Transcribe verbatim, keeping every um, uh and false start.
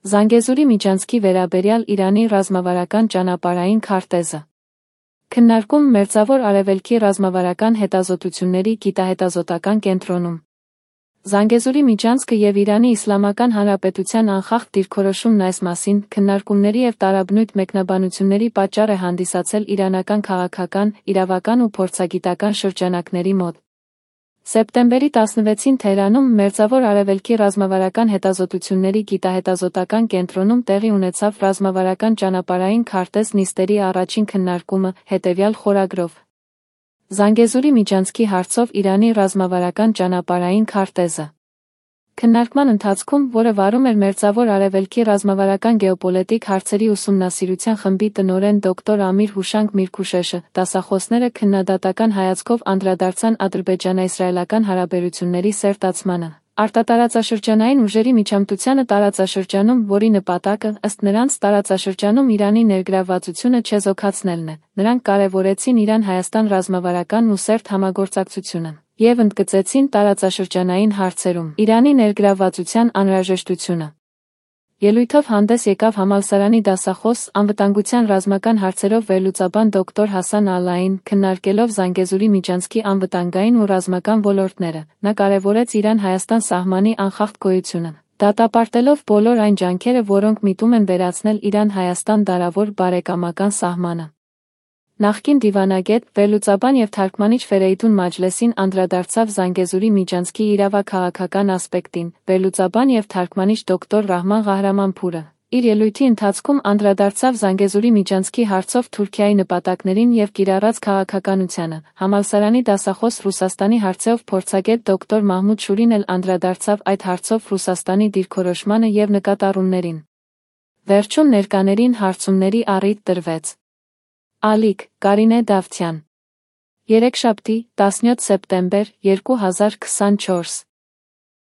Զանգեզուրի միջանցքի վերաբերյալ Իրանի ռազմավարական ճանապարհային քարտեզը։ Քննարկում Մերձավոր Արևելքի ռազմավարական հետազոտությունների գիտահետազոտական կենտրոնում։ Զանգեզուրի միջանցքը և Իրանի Իսլամական Հանրապետության անխախտ դիրքորոշումն այս մասին քննարկումների և տարաբնույթ մեկնաբանությունների պատճառ է հանդիսացել իրանական քաղաքական, իրավական ու փորձագիտական շրջանակների մոտ։ Սեպտեմբերի տասնվեցին Թեհրանում Մերձավոր Արևելքի ռազմավարական հետազոտությունների գիտահետազոտական կենտրոնում տեղի ունեցավ ռազմավարական ճանապարհային քարտեզ նիստերի առաջին քննարկումը, հետևյալ խորագրով. Զանգեզուրի միջանցքի հարցով Իրանի ռազմավարական ճանապարհային քարտեզը։ Քննարկման ընթացքում, որը վարում էր Մերձավոր Արևելքի ռազմավարական գեոպոլիտիկ հարցերի ուսումնասիրության խմբի տնօրեն դոկտոր Ամիր Հուշանգ Միրքուշեշը, դասախոսները քննադատական հայացքով անդրադարձան ադրբեջանա-իսրայելական հարաբերությունների սերտացմանը, արտատարածաշրջանային ուժերի միջամտությանը տարածաշրջանում, որի նպատակը, ըստ նրանց, տարածաշրջանում Իրանի ներգրավվածությունը չեզոքացնելն է։ Նրանք կարևորեցին Իրան-Հայաստան ռազմավարական ու սերտ համագործակցությունը և ընդգծեցին տարածաշրջանային հարցերում Իրանի ներգրավվածության անհրաժեշտությունը։ Ելույթով հանդես եկավ համալսարանի դասախոս, անվտանգության ռազմական հարցերով վերլուծաբան դոկտոր Հասան Ալլային, քննարկելով Զանգեզուրի միջանցքի անվտանգային ու ռազմական ոլորտները, նա կարևորեց Իրան-Հայաստան սահմանի անխախտ գոյությունը, դատապարտելով բոլոր այն ջանքերը, որոնք միտում են վերացնել Իրան-Հայաստան դարավոր բարեկամական սահմանը։ Նախկին դիվանագետ, վերլուծաբան և թարգմանիչ Ֆերեյդուն Մաջլեսին անդրադարձավ Զանգեզուրի միջանցքի իրավաքաղաքական ասպեկտին, վերլուծաբան և թարգմանիչ դոկտոր Ռահման Ղահրամանփուրը իր ելույթի ընթացքում անդրադարձավ Զանգեզուրի միջանցքի հարցով Թուրքիայի նպատակներին և կիրառած քաղաքականությանը։ Համալսարանի դասախոս Ռուսաստանի հարցերով փորձագետ դոկտոր Մահմուդ Շուրին էլ անդրադարձավ այդ հարցով Ռուսաստանի դիրքորոշմանը և նկատառումներին։ Վերջում ներկաներին հարցումների առիթ տրվեց։ Ալիք, Կարինե Դավթյան։ Երեքշաբթի, տասնյոթ սեպտեմբեր, երկու հազար քսանչորս